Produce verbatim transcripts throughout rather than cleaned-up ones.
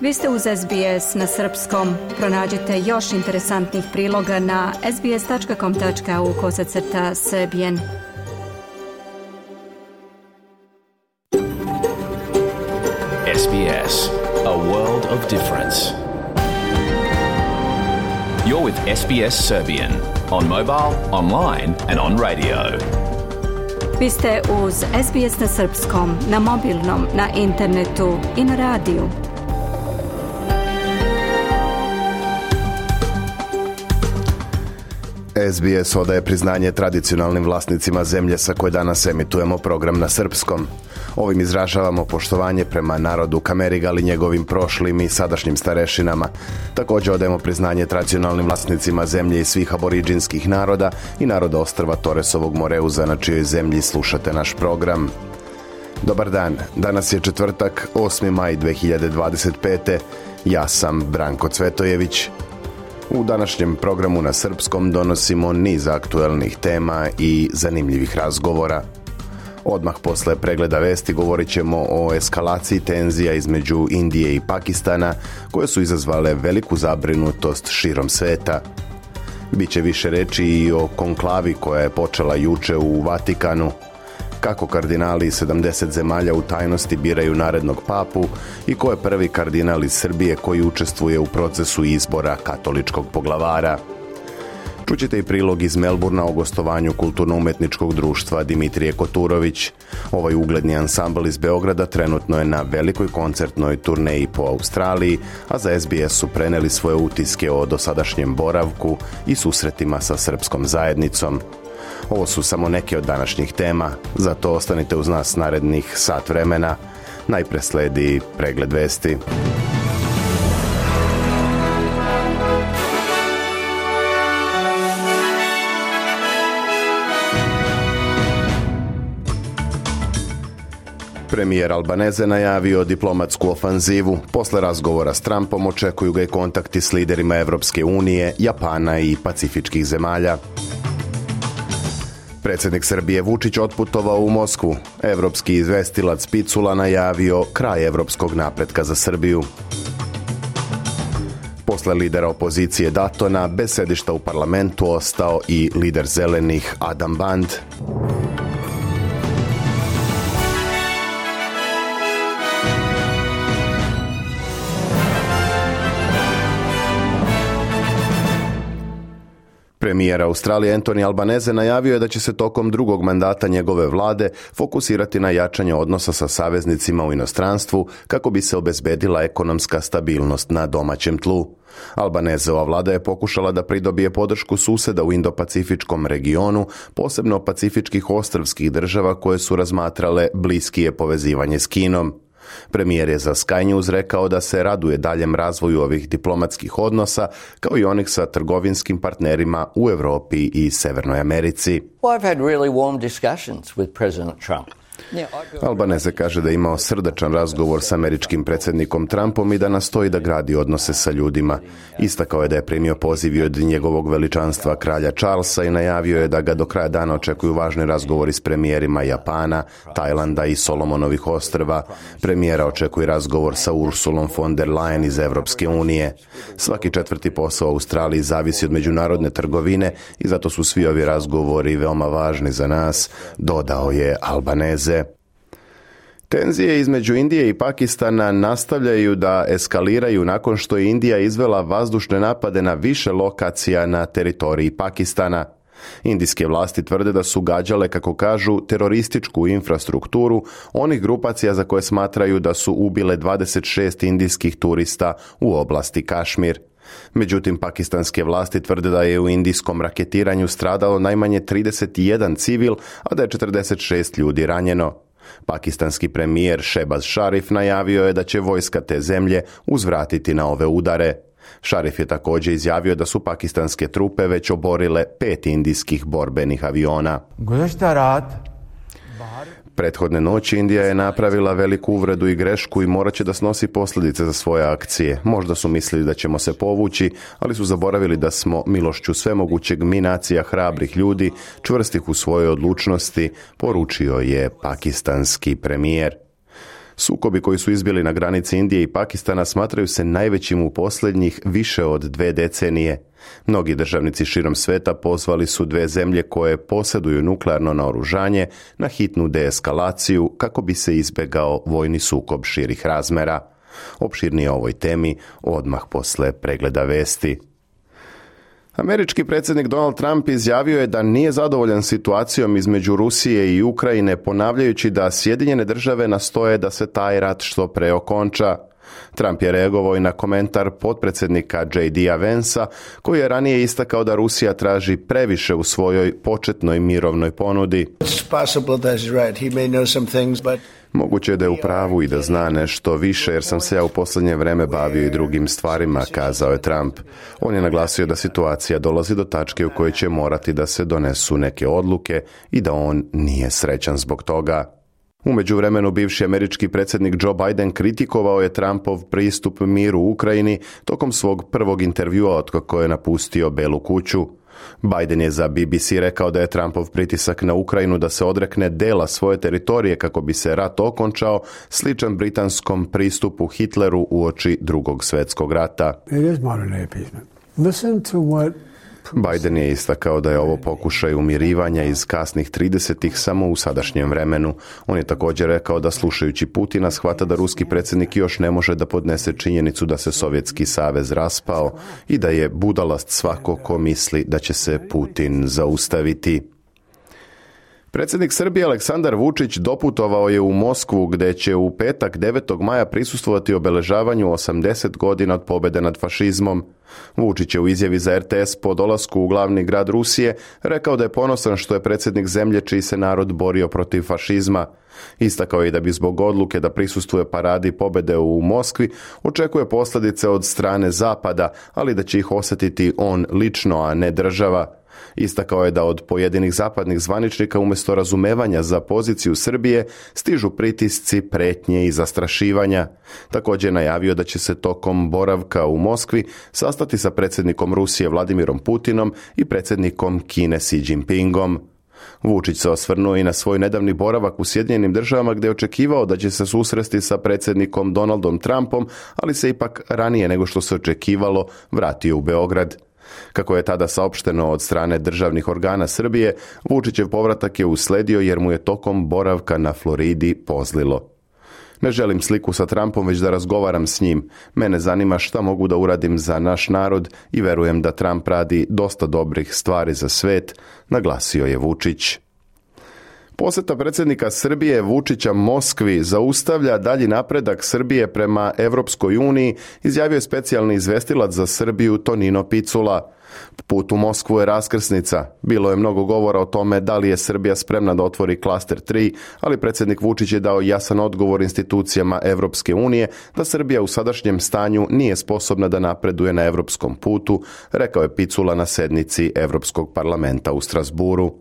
Vi ste uz S B S na srpskom. Pronađite još interesantnih priloga na sbs.com.au kosacrta srbijen. S B S, a world of difference. You're with S B S Serbian on mobile, online and on radio. Vi ste uz S B S na srpskom, na mobilnom, na internetu i na radiju. S B S odaje priznanje tradicionalnim vlasnicima zemlje sa koje danas emitujemo program na srpskom. Ovim izražavamo poštovanje prema narodu Kamerigal i njegovim prošlim i sadašnjim starešinama. Također odajemo priznanje tradicionalnim vlasnicima zemlje i svih aboriđinskih naroda i naroda ostrva Toresovog Moreuza, na čijoj zemlji slušate naš program. Dobar dan, danas je četvrtak, osmi maj dve hiljade dvadeset pete. Ja sam Branko Cvetojević. U današnjem programu na srpskom donosimo niz aktuelnih tema i zanimljivih razgovora. Odmah posle pregleda vesti govorit ćemo o eskalaciji tenzija između Indije i Pakistana, koje su izazvale veliku zabrinutost širom sveta. Biće više reči i o konklavi koja je počela juče u Vatikanu, kako kardinali iz sedamdeset zemalja u tajnosti biraju narednog papu i ko je prvi kardinal iz Srbije koji učestvuje u procesu izbora katoličkog poglavara. Čućete i prilog iz Melburna o gostovanju kulturno-umetničkog društva Dimitrije Koturović. Ovaj ugledni ansambl iz Beograda trenutno je na velikoj koncertnoj turneji po Australiji, a za S B S su preneli svoje utiske o dosadašnjem boravku i susretima sa srpskom zajednicom. Ovo su samo neke od današnjih tema, zato ostanite uz nas narednih sat vremena. Najpre sledi pregled vesti. Premijer Albaneze najavio diplomatsku ofanzivu. Posle razgovora s Trumpom očekuju ga i kontakti s liderima Evropske unije, Japana i pacifičkih zemalja. Predsjednik Srbije Vučić otputovao u Moskvu. Evropski izvestilac Picula najavio kraj evropskog napretka za Srbiju. Posle lidera opozicije Datona, bez sedišta u parlamentu ostao i lider zelenih Adam Band. Premijer Australije Anthony Albanese najavio je da će se tokom drugog mandata njegove vlade fokusirati na jačanje odnosa sa saveznicima u inostranstvu kako bi se obezbedila ekonomska stabilnost na domaćem tlu. Albaneseova vlada je pokušala da pridobije podršku suseda u Indo-Pacifičkom regionu, posebno pacifičkih ostrvskih država koje su razmatrale bliskije povezivanje s Kinom. Premijer je za Sky News rekao da se raduje daljem razvoju ovih diplomatskih odnosa, kao i onih sa trgovinskim partnerima u Europi i Severnoj Americi. Well, I've had really warm discussions with President Trump. Albanese kaže da je imao srdačan razgovor s američkim predsjednikom Trumpom i da nastoji da gradi odnose sa ljudima. Istakao je da je primio poziv od njegovog veličanstva kralja Charlesa i najavio je da ga do kraja dana očekuju važni razgovori s premijerima Japana, Tajlanda i Solomonovih ostrva. Premijera očekuje razgovor sa Ursulom von der Leyen iz Evropske unije. Svaki četvrti posao u Australiji zavisi od međunarodne trgovine i zato su svi ovi razgovori veoma važni za nas, dodao je Albanese. Tenzije između Indije i Pakistana nastavljaju da eskaliraju nakon što je Indija izvela vazdušne napade na više lokacija na teritoriji Pakistana. Indijske vlasti tvrde da su gađale, kako kažu, terorističku infrastrukturu onih grupacija za koje smatraju da su ubile dvadeset šest indijskih turista u oblasti Kašmir. Međutim, pakistanske vlasti tvrde da je u indijskom raketiranju stradalo najmanje trideset jedan civil, a da je četrdeset šest ljudi ranjeno. Pakistanski premijer Shehbaz Sharif najavio je da će vojska te zemlje uzvratiti na ove udare. Sharif je također izjavio da su pakistanske trupe već oborile pet indijskih borbenih aviona. Prethodne noći Indija je napravila veliku uvredu i grešku i morat će da snosi posljedice za svoje akcije. Možda su mislili da ćemo se povući, ali su zaboravili da smo milošću svemogućeg mi nacija hrabrih ljudi, čvrstih u svojoj odlučnosti, poručio je pakistanski premijer. Sukobi koji su izbili na granici Indije i Pakistana smatraju se najvećim u posljednjih više od dve decenije. Mnogi državnici širom sveta pozvali su dve zemlje koje posjeduju nuklearno naoružanje na hitnu deeskalaciju kako bi se izbjegao vojni sukob širih razmera. Opširnije o ovoj temi odmah posle pregleda vesti. Američki predsjednik Donald Trump izjavio je da nije zadovoljan situacijom između Rusije i Ukrajine, ponavljajući da Sjedinjene države nastoje da se taj rat što pre okonča. Trump je reagovao i na komentar potpredsjednika J D Vansa, koji je ranije istakao da Rusija traži previše u svojoj početnoj mirovnoj ponudi. Moguće je da je u pravu i da zna nešto više, jer sam se ja u posljednje vreme bavio i drugim stvarima, kazao je Trump. On je naglasio da situacija dolazi do tačke u kojoj će morati da se donesu neke odluke i da on nije srećan zbog toga. U međuvremenu bivši američki predsjednik Joe Biden kritikovao je Trumpov pristup miru u Ukrajini tokom svog prvog intervjua otkako je napustio Belu kuću. Biden je za B B C rekao da je Trumpov pritisak na Ukrajinu da se odrekne dela svoje teritorije kako bi se rat okončao sličan britanskom pristupu Hitleru uoči Drugog svjetskog rata. Biden je istakao da je ovo pokušaj umirivanja iz kasnih tridesetih samo u sadašnjem vremenu. On je također rekao da slušajući Putina shvata da ruski predsjednik još ne može da podnese činjenicu da se Sovjetski savez raspao i da je budalast svako ko misli da će se Putin zaustaviti. Predsjednik Srbije Aleksandar Vučić doputovao je u Moskvu gdje će u petak devetog maja prisustvovati obeležavanju osamdeset godina od pobjede nad fašizmom. Vučić je u izjavi za R T S po dolasku u glavni grad Rusije rekao da je ponosan što je predsjednik zemlje čiji se narod borio protiv fašizma. Istakao je da bi zbog odluke da prisustvuje paradi pobjede u Moskvi očekuje posljedice od strane Zapada, ali da će ih osjetiti on lično, a ne država. Istakao je da od pojedinih zapadnih zvaničnika umjesto razumevanja za poziciju Srbije stižu pritisci, pretnje i zastrašivanja. Također je najavio da će se tokom boravka u Moskvi sastati sa predsjednikom Rusije Vladimirom Putinom i predsjednikom Kine Xi Jinpingom. Vučić se osvrnuo i na svoj nedavni boravak u Sjedinjenim državama gdje je očekivao da će se susresti sa predsjednikom Donaldom Trumpom, ali se ipak ranije nego što se očekivalo vratio u Beograd. Kako je tada saopšteno od strane državnih organa Srbije, Vučićev povratak je usledio jer mu je tokom boravka na Floridi pozlilo. Ne želim sliku sa Trumpom, već da razgovaram s njim. Mene zanima šta mogu da uradim za naš narod i verujem da Trump radi dosta dobrih stvari za svet, naglasio je Vučić. Posjeta predsjednika Srbije Vučića Moskvi zaustavlja dalji napredak Srbije prema Evropskoj uniji, izjavio je specijalni izvestilac za Srbiju Tonino Picula. Put u Moskvu je raskrsnica. Bilo je mnogo govora o tome da li je Srbija spremna da otvori klaster tri, ali predsjednik Vučić je dao jasan odgovor institucijama Evropske unije da Srbija u sadašnjem stanju nije sposobna da napreduje na evropskom putu, rekao je Picula na sednici Evropskog parlamenta u Strasburu.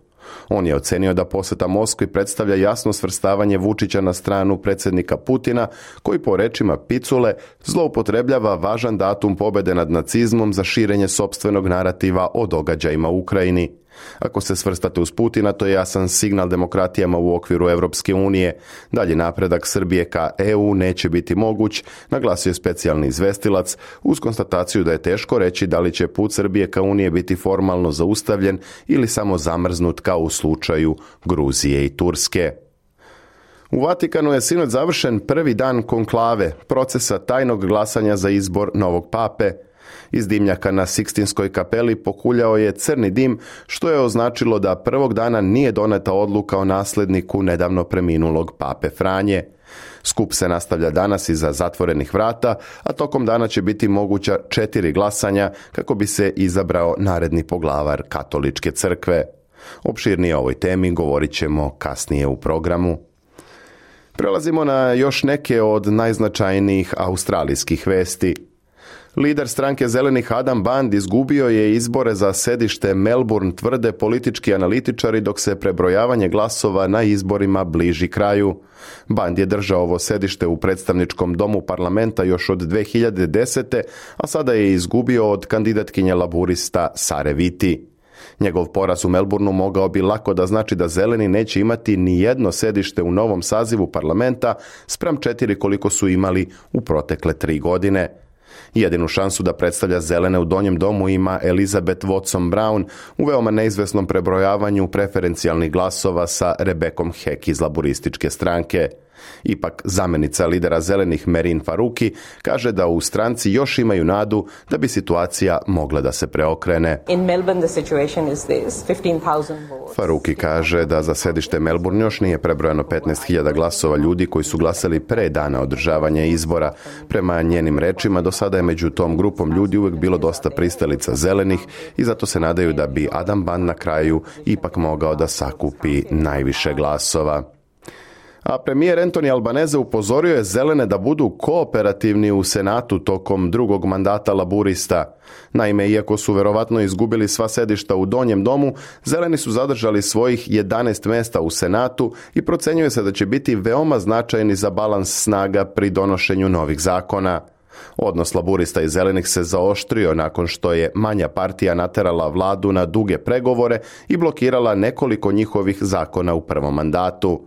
On je ocenio da posjeta Moskvi predstavlja jasno svrstavanje Vučića na stranu predsjednika Putina, koji po rečima Picule zloupotrebljava važan datum pobjede nad nacizmom za širenje sopstvenog narativa o događajima u Ukrajini. Ako se svrstate uz Putina, to je jasan signal demokratijama u okviru Evropske unije. Dalji napredak Srbije ka E U neće biti moguć, naglasio je specijalni izvestilac, uz konstataciju da je teško reći da li će put Srbije ka Unije biti formalno zaustavljen ili samo zamrznut kao u slučaju Gruzije i Turske. U Vatikanu je sinoć završen prvi dan konklave, procesa tajnog glasanja za izbor novog pape. Iz dimnjaka na Sikstinskoj kapeli pokuljao je crni dim, što je označilo da prvog dana nije doneta odluka o nasljedniku nedavno preminulog pape Franje. Skup se nastavlja danas iza zatvorenih vrata, a tokom dana će biti moguća četiri glasanja kako bi se izabrao naredni poglavar Katoličke crkve. Opširnije o ovoj temi govorit ćemo kasnije u programu. Prelazimo na još neke od najznačajnijih australijskih vesti. Lider stranke Zelenih Adam Band izgubio je izbore za sedište Melbourne, tvrde politički analitičari, dok se prebrojavanje glasova na izborima bliži kraju. Band je držao ovo sedište u predstavničkom domu parlamenta još od dve hiljade desete. a sada je izgubio od kandidatkinje laburista Sare Viti. Njegov poraz u Melbourneu mogao bi lako da znači da zeleni neće imati ni jedno sedište u novom sazivu parlamenta spram četiri koliko su imali u protekle tri godine. Jedinu šansu da predstavlja zelene u donjem domu ima Elizabeth Watson Brown u veoma neizvesnom prebrojavanju preferencijalnih glasova sa Rebekom Heck iz laburističke stranke. Ipak zamenica lidera zelenih Merin Faruqi kaže da u stranci još imaju nadu da bi situacija mogla da se preokrene. In Melbourne the situation is this, fifteen thousand votes. Faruqi kaže da za sedište Melbourne još nije prebrojano petnaest hiljada glasova ljudi koji su glasali pre dana održavanja izbora. Prema njenim rečima, do sada je među tom grupom ljudi uvek bilo dosta pristalica zelenih i zato se nadaju da bi Adam Ban na kraju ipak mogao da sakupi najviše glasova. A premijer Anthony Albanese upozorio je zelene da budu kooperativni u Senatu tokom drugog mandata laburista. Naime, iako su verovatno izgubili sva sedišta u donjem domu, zeleni su zadržali svojih jedanaest mesta u Senatu i procenjuje se da će biti veoma značajni za balans snaga pri donošenju novih zakona. Odnos laburista i zelenih se zaoštrio nakon što je manja partija naterala vladu na duge pregovore i blokirala nekoliko njihovih zakona u prvom mandatu.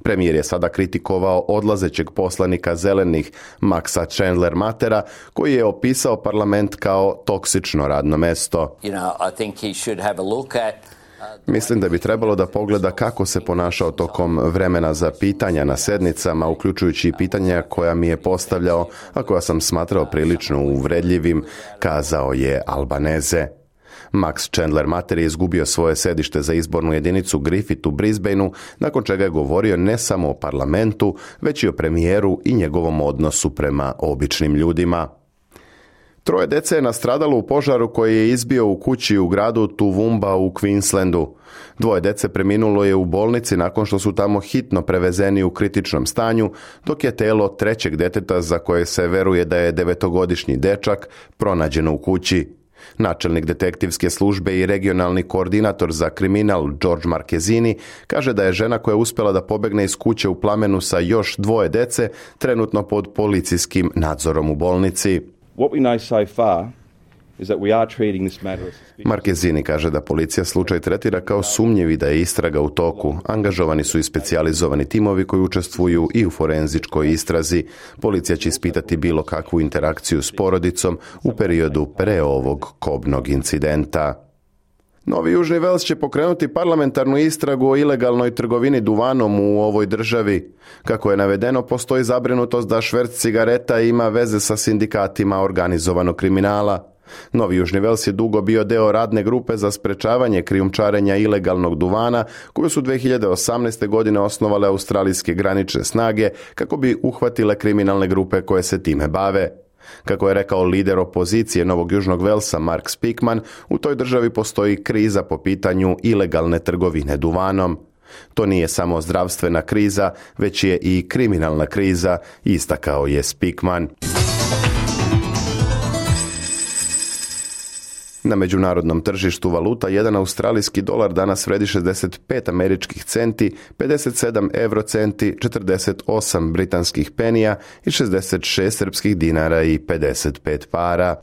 Premijer je sada kritikovao odlazećeg poslanika zelenih Maxa Chandler-Mattera, koji je opisao parlament kao toksično radno mesto. You know, I think he should have a look at Mislim da bi trebalo da pogleda kako se ponašao tokom vremena za pitanja na sednicama, uključujući i pitanja koja mi je postavljao, a koja sam smatrao prilično uvredljivim, kazao je Albanese. Max Chandler-Matter je izgubio svoje sedište za izbornu jedinicu Griffith u Brisbaneu, nakon čega je govorio ne samo o parlamentu, već i o premijeru i njegovom odnosu prema običnim ljudima. Troje dece je nastradalo u požaru koji je izbio u kući u gradu Toowoomba u Queenslandu. Dvoje dece preminulo je u bolnici nakon što su tamo hitno prevezeni u kritičnom stanju, dok je telo trećeg deteta, za koje se veruje da je devetogodišnji dečak, pronađeno u kući. Načelnik detektivske službe i regionalni koordinator za kriminal George Marquezini kaže da je žena koja je uspjela da pobegne iz kuće u plamenu sa još dvoje dece trenutno pod policijskim nadzorom u bolnici. What we know so far is that we are treating this matter as suspicious. Marquezini kaže da policija slučaj tretira kao sumnjiv i da je istraga u toku. Angažovani su i specijalizovani timovi koji učestvuju i u forenzičkoj istrazi. Policija će ispitati bilo kakvu interakciju s porodicom u periodu pre ovog kobnog incidenta. Novi Južni Vels će pokrenuti parlamentarnu istragu o ilegalnoj trgovini duvanom u ovoj državi. Kako je navedeno, postoji zabrinutost da šverc cigareta ima veze sa sindikatima organizovanog kriminala. Novi Južni Vels je dugo bio deo radne grupe za sprečavanje krijumčarenja ilegalnog duvana, koju su dve hiljade osamnaeste. godine osnovale australijske granične snage kako bi uhvatile kriminalne grupe koje se time bave. Kako je rekao lider opozicije Novog Južnog Velsa Mark Speakman, u toj državi postoji kriza po pitanju ilegalne trgovine duvanom. To nije samo zdravstvena kriza, već je i kriminalna kriza, istakao je Speakman. Na međunarodnom tržištu valuta jedan australijski dolar danas vredi šezdeset pet američkih centi, pedeset sedam eurocenti, četrdeset osam britanskih penija i šezdeset šest srpskih dinara i pedeset pet para.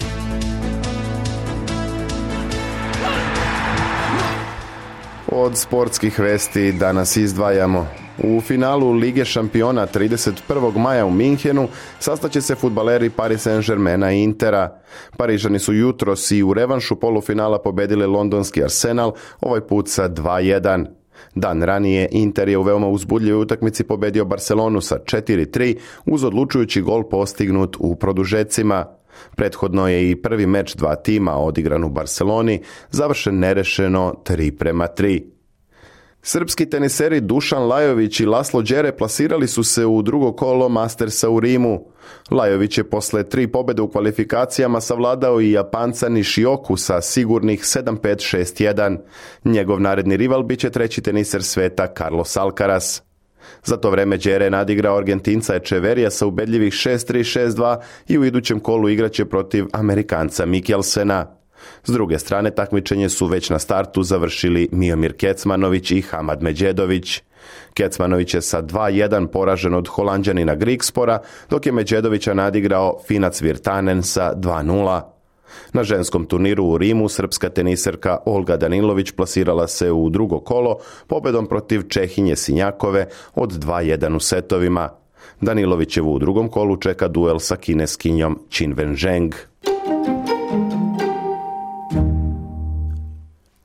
Od sportskih vesti danas izdvajamo. U finalu Lige šampiona trideset prvog maja u Minhenu sastaće se fudbaleri Paris Saint-Germaina i Intera. Parižani su jutros i u revanšu polufinala pobedili londonski Arsenal, ovaj put sa dva jedan. Dan ranije Inter je u veoma uzbudljivoj utakmici pobedio Barcelonu sa četiri tri uz odlučujući gol postignut u produžecima. Prethodno je i prvi meč dva tima odigran u Barceloni, završen nerešeno tri prema tri. Srpski teniseri Dušan Lajović i Laslo Đere plasirali su se u drugo kolo Mastersa u Rimu. Lajović je posle tri pobjede u kvalifikacijama savladao i Japanca Nishioku sa sigurnih sedam pet šest jedan. Njegov naredni rival biće treći teniser sveta Carlos Alcaraz. Za to vreme Đere je nadigrao Argentinca Echeverija sa ubedljivih šest tri šest dva i u idućem kolu igraće protiv Amerikanca Mikkelsena. S druge strane, takmičenje su već na startu završili Miomir Kecmanović i Hamad Medjedović. Kecmanović je sa dva jedan poražen od Holanđanina Grigspora, dok je Medjedovića nadigrao Finac Virtanen sa dva nula. Na ženskom turniru u Rimu srpska teniserka Olga Danilović plasirala se u drugo kolo pobedom protiv Čehinje Sinjakove od dva jedan u setovima. Danilovićevu u drugom kolu čeka duel sa kineskinjom Qin Wenzheng.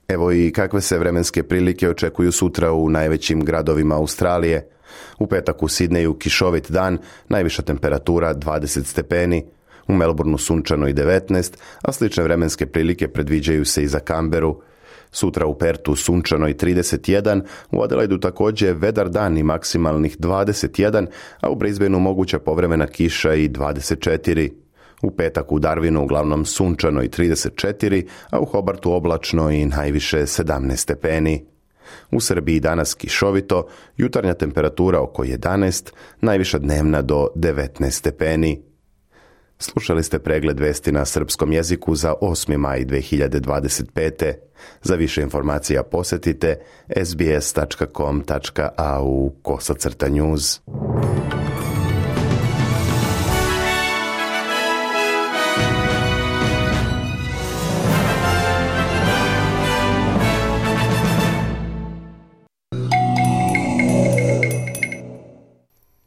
Evo i kakve se vremenske prilike očekuju sutra u najvećim gradovima Australije. U petak u Sidneju kišovit dan, najviša temperatura dvadeset stepeni, u Melbourneu sunčano i devetnaest, a slične vremenske prilike predviđaju se i za Kamberu. Sutra u Pertu sunčano i trideset jedan, u Adelaidu također vedar dan i maksimalnih dvadeset jedan, a u Brisbaneu moguća povremena kiša i dvadeset četiri. U petak u Darwinu uglavnom sunčano i trideset četiri, a u Hobartu oblačno i najviše sedamnaest stepeni. U Srbiji danas kišovito, jutarnja temperatura oko jedanaest, najviša dnevna do devetnaest stepeni. Slušali ste pregled vesti na srpskom jeziku za osmi maj dve hiljade dvadeset pete. Za više informacija posjetite es bi es tačka com tačka a u kosacrta news.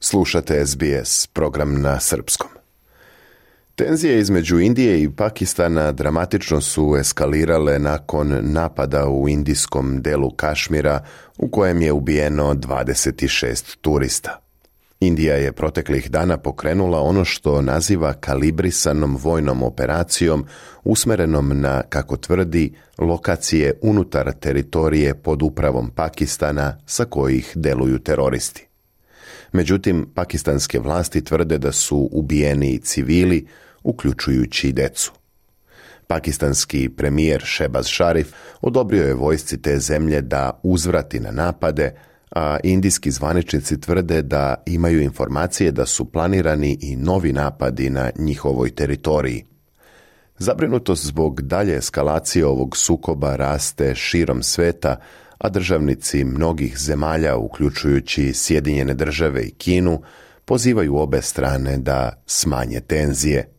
Slušate es bi es, program na srpskom. Tenzije između Indije i Pakistana dramatično su eskalirale nakon napada u indijskom delu Kašmira u kojem je ubijeno dvadeset šest turista. Indija je proteklih dana pokrenula ono što naziva kalibrisanom vojnom operacijom usmerenom na, kako tvrdi, lokacije unutar teritorije pod upravom Pakistana sa kojih deluju teroristi. Međutim, pakistanske vlasti tvrde da su ubijeni civili, uključujući i decu. Pakistanski premijer Shehbaz Sharif odobrio je vojsci te zemlje da uzvrati na napade, a indijski zvaničnici tvrde da imaju informacije da su planirani i novi napadi na njihovoj teritoriji. Zabrinutost zbog dalje eskalacije ovog sukoba raste širom sveta, a državnici mnogih zemalja, uključujući Sjedinjene države i Kinu, pozivaju obe strane da smanje tenzije.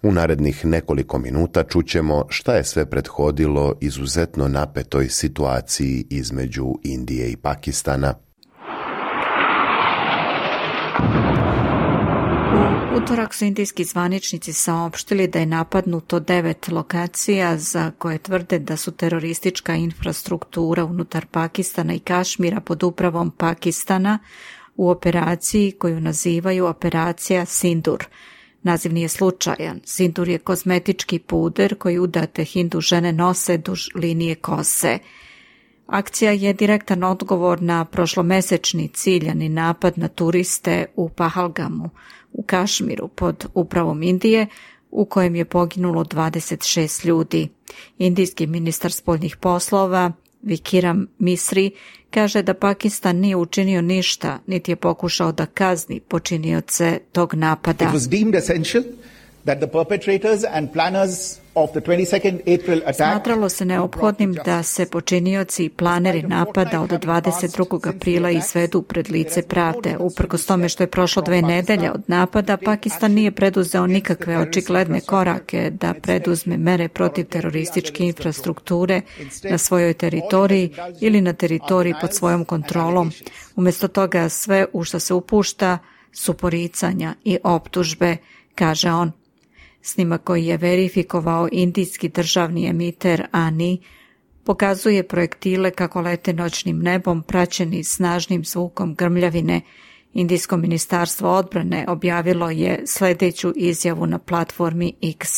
U narednih nekoliko minuta čućemo šta je sve prethodilo izuzetno napetoj situaciji između Indije i Pakistana. U utorak su indijski zvaničnici saopštili da je napadnuto devet lokacija za koje tvrde da su teroristička infrastruktura unutar Pakistana i Kašmira pod upravom Pakistana u operaciji koju nazivaju operacija Sindur. Naziv nije slučajan. Sindur je kozmetički puder koji udate hindu žene nose duž linije kose. Akcija je direktan odgovor na prošlomesečni ciljani napad na turiste u Pahalgamu, u Kašmiru pod upravom Indije, u kojem je poginulo dvadeset šest ljudi. Indijski ministar spoljnih poslova Vikram Misri kaže da Pakistan nije učinio ništa, niti je pokušao da kazni počinioce tog napada. It was deemed essential that the perpetrators and planners of the twenty-second April attack. Smatralo se neophodnim da se počinioci i planeri napada od dvadeset drugog aprila izvedu pred lice pravde. Uprkos tome što je prošlo dve nedelje od napada, Pakistan nije preduzeo nikakve očigledne korake da preduzme mere protiv terorističke infrastrukture na svojoj teritoriji ili na teritoriji pod svojom kontrolom. Umjesto toga sve u što se upušta su poricanja i optužbe, kaže on. Snimak koji je verifikovao indijski državni emiter A N I pokazuje projektile kako lete noćnim nebom praćeni snažnim zvukom grmljavine. Indijsko ministarstvo odbrane objavilo je sljedeću izjavu na platformi X.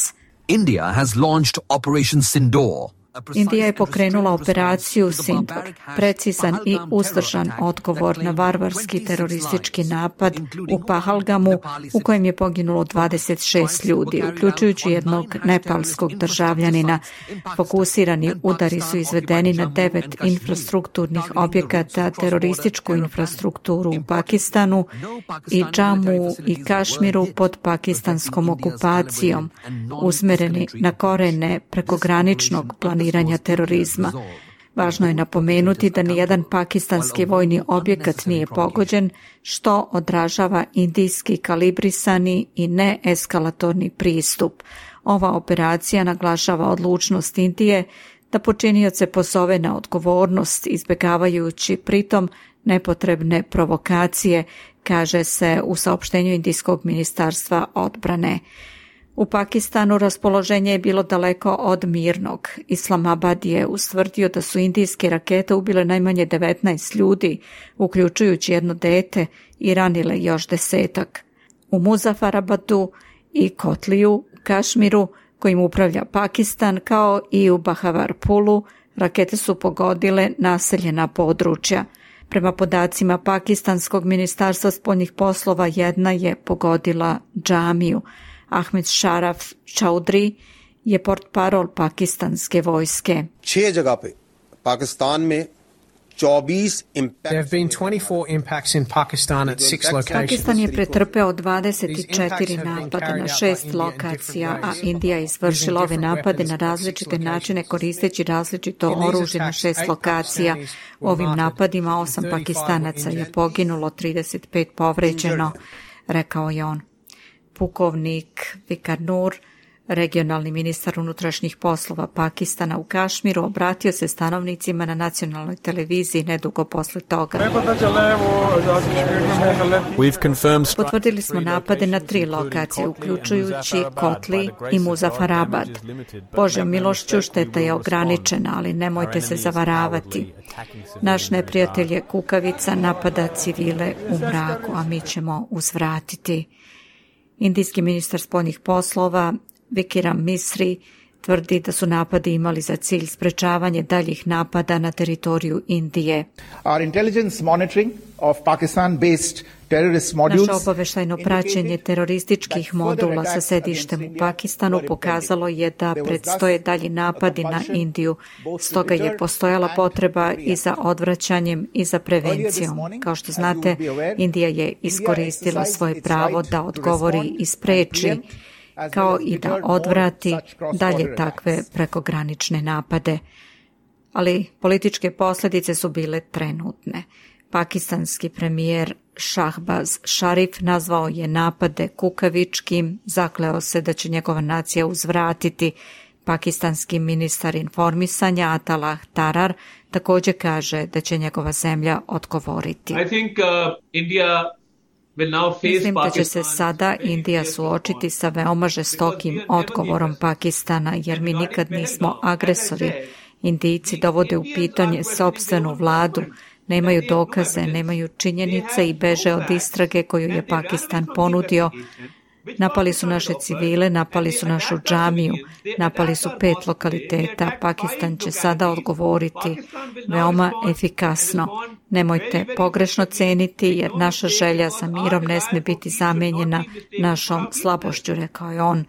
India has launched Operation Sindoor. Indija je pokrenula operaciju Sindur, precizan i uzdržan odgovor na varvarski teroristički napad u Pahalgamu u kojem je poginulo dvadeset šest ljudi, uključujući jednog nepalskog državljanina. Fokusirani udari su izvedeni na devet infrastrukturnih objekata, terorističku infrastrukturu u Pakistanu i Džamu i Kašmiru pod pakistanskom okupacijom, usmereni na korene prekograničnog planiranja terorizma. Važno je napomenuti da nijedan pakistanski vojni objekat nije pogođen, što odražava indijski kalibrisani i neeskalatorni pristup. Ova operacija naglašava odlučnost Indije da počinioce pozove na odgovornost, izbjegavajući pritom nepotrebne provokacije, kaže se u saopštenju Indijskog ministarstva odbrane. U Pakistanu raspoloženje je bilo daleko od mirnog. Islamabad je ustvrdio da su indijske rakete ubile najmanje devetnaest ljudi, uključujući jedno dete, i ranile još desetak. U Muzaffarabadu i Kotliju u Kašmiru, kojim upravlja Pakistan, kao i u Bahavarpulu, rakete su pogodile naseljena područja. Prema podacima Pakistanskog ministarstva spoljnih poslova, jedna je pogodila džamiju. Ahmed Sharaf Chaudhry je portparol pakistanske vojske. छह जगह पे पाकिस्तान में चौबीस There have been twenty-four impacts in Pakistan at six locations. Pakistan je pretrpeo dvadeset četiri napada na šest lokacija, a Indija je izvršila ove napade na različite načine koristeći različito oružje na šest lokacija. U ovim napadima osam Pakistanaca je poginulo, trideset pet povređeno, rekao je on. Pukovnik Vikar Nur, regionalni ministar unutrašnjih poslova Pakistana u Kašmiru, obratio se stanovnicima na nacionalnoj televiziji nedugo posle toga. Potvrdili smo napade na tri lokacije, uključujući Kotli i Muzaffarabad. Božjom milošću šteta je ograničena, ali nemojte se zavaravati. Naš neprijatelj je kukavica, napada civile u mraku, a mi ćemo uzvratiti. Indijski ministar spoljnih poslova Vikram Misri tvrdi da su napadi imali za cilj sprečavanje daljih napada na teritoriju Indije. Our intelligence monitoring of Pakistan-based terrorist modules. Naše obaveštajno praćenje terorističkih modula sa sedištem u Pakistanu pokazalo je da predstoje dalji napadi na Indiju. Stoga je postojala potreba i za odvraćanjem i za prevencijom. Kao što znate, Indija je iskoristila svoje pravo da odgovori i spreči, kao i da odvrati dalje takve prekogranične napade. Ali političke posljedice su bile trenutne. Pakistanski premijer Shahbaz Sharif nazvao je napade kukavičkim, zakleo se da će njegova nacija uzvratiti. Pakistanski ministar informisanja Atalah Tarar također kaže da će njegova zemlja odgovoriti. I think, uh, India Mislim da će se sada Indija suočiti sa veoma žestokim odgovorom Pakistana, jer mi nikad nismo agresori. Indijci dovode u pitanje sopstvenu vladu, nemaju dokaze, nemaju činjenice i beže od istrage koju je Pakistan ponudio. Napali su naše civile, napali su našu džamiju, napali su pet lokaliteta. Pakistan će sada odgovoriti veoma efikasno. Nemojte pogrešno ceniti, jer naša želja za mirom ne smije biti zamenjena našom slabošću, rekao je on.